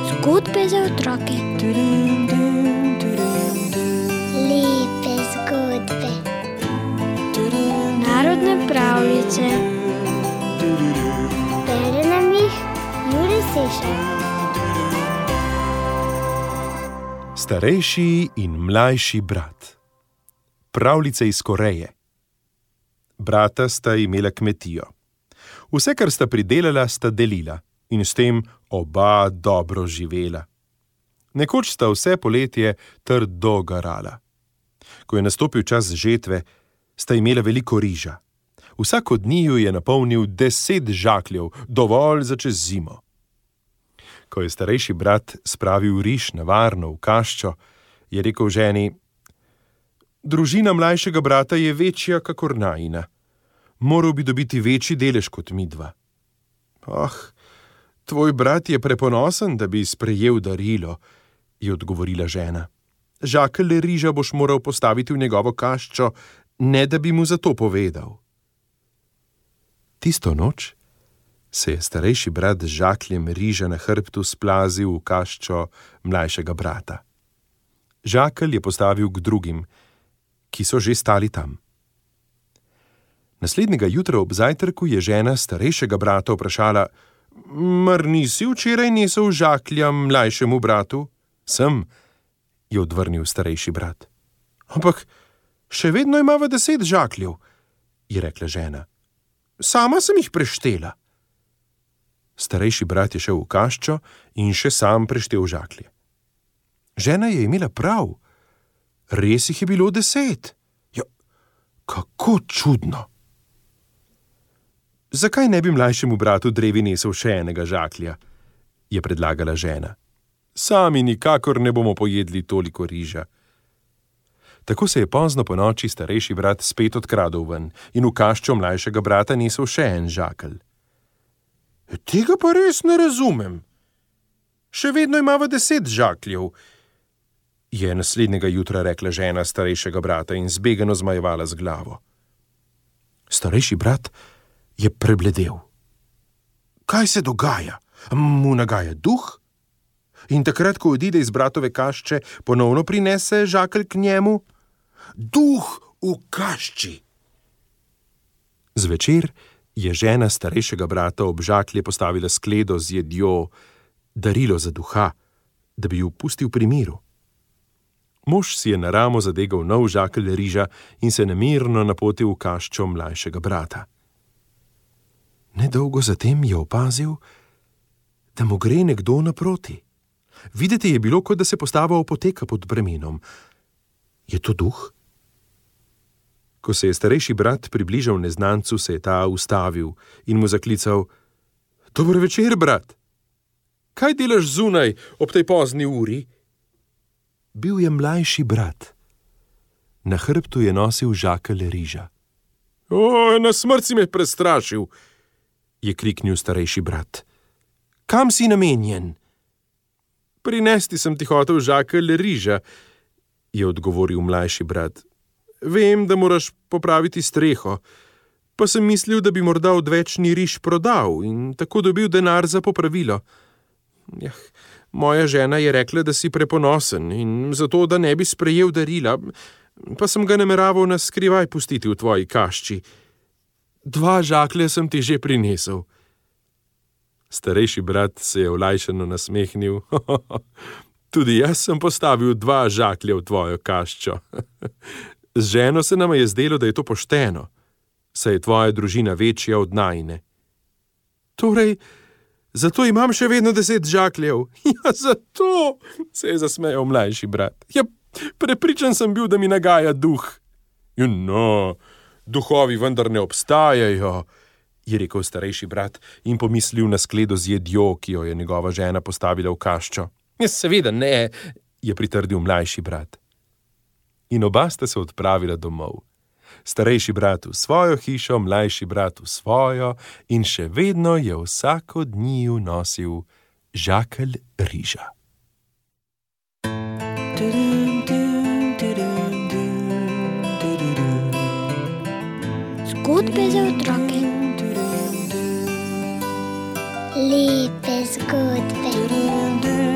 Zgodbe za otroke. Lepe zgodbe. Narodne pravljice. Bere nam jih Jure Sešar. Starejši in mlajši brat. Pravljice iz Koreje. Brata sta imela kmetijo. Vse, kar sta pridelala, sta delila in s tem oba dobro živela. Nekoč sta vse poletje trdo garala. Ko je nastopil čas žetve, sta imela veliko riža. Vsak od njiju je napolnil 10 žakljev, dovolj za čez zimo. Ko je starejši brat spravil riž na varno v kaščo, je rekel ženi: Družina mlajšega brata je večja kakor najina. Moral bi dobiti večji delež kot midva. Tvoj brat je preponosen, da bi sprejel darilo, je odgovorila žena. Žakelj riža boš moral postaviti v njegovo kaščo, ne da bi mu za to povedal. Tisto noč se je starejši brat z žakljem riža na hrbtu splazil v kaščo mlajšega brata. Žakelj je postavil k drugim, ki so že stali tam. Naslednjega jutra ob zajtrku je žena starejšega brata vprašala: Mar nisi včeraj nesel žaklja mlajšemu bratu? Sem, je odvrnil starejši brat. Ampak še vedno imava 10 žakljev, je rekla žena. Sama sem jih preštela. Starejši brat je šel v kaščo in še sam preštel žaklje. Žena je imela prav. Res jih je bilo 10. Ja, kako čudno. Zakaj ne bi mlajšemu bratu drevi nesel še enega žaklja, je predlagala žena. Sami nikakor ne bomo pojedli toliko riža. Tako se je pozno ponoči starejši brat spet odkradel ven in v kaščo mlajšega brata nesel še en žakelj. Tega pa res ne razumem. Še vedno imava 10 žakljev, je naslednjega jutra rekla žena starejšega brata in zbegano zmajevala z glavo. Starejši brat je prebledel. Kaj se dogaja? Mu nagaja duh? In takrat, ko odide iz bratove kašče, ponovno prinese žakelj k njemu? Duh v kašči! Zvečer je žena starejšega brata ob žaklje postavila skledo z jedjo, darilo za duha, da bi ju pustil pri miru. Mož si je na ramo zadegal nov žakelj riža in se nemirno napotil v kaščo mlajšega brata. Nedolgo zatem je opazil, da mu gre nekdo naproti. Videti je bilo, kot da se postava opoteka pod bremenom. Je to duh? Ko se je starejši brat približal neznancu, se je ta ustavil in mu zaklical: Dober večer, brat! Kaj delaš zunaj ob tej pozni uri? Bil je mlajši brat. Na hrbtu je nosil žakelj riža. Na smrt si me prestrašil, je kriknil starejši brat. Kam si namenjen? Prinesti sem ti hotel žakelj riža, je odgovoril mlajši brat. Vem, da moraš popraviti streho, pa sem mislil, da bi morda odvečni riž prodal in tako dobil denar za popravilo. Moja žena je rekla, da si preponosen in zato, da ne bi sprejel darila, pa sem ga nameraval na skrivaj pustiti v tvoji kašči. 2 žaklje sem ti že prinesel. Starejši brat se je olajšano nasmehnil. Tudi jaz sem postavil 2 žaklje v tvojo kaščo. Z ženo se nama je zdelo, da je to pošteno, saj je tvoja družina večja od najine. Torej, zato imam še vedno 10 žakljev. Ja, zato, se je zasmejal mlajši brat. Ja, prepričan sem bil, da mi nagaja duh. No, duhovi vendar ne obstajajo, je rekel starejši brat in pomislil na skledo z jedjo, ki jo je njegova žena postavila v kaščo. Ja, seveda ne, je pritrdil mlajši brat. In oba sta se odpravila domov. Starejši brat v svojo hišo, mlajši brat v svojo in še vedno je vsak od njiju nosil žakelj riža. Zgodbe za otroke. Lepe zgodbe.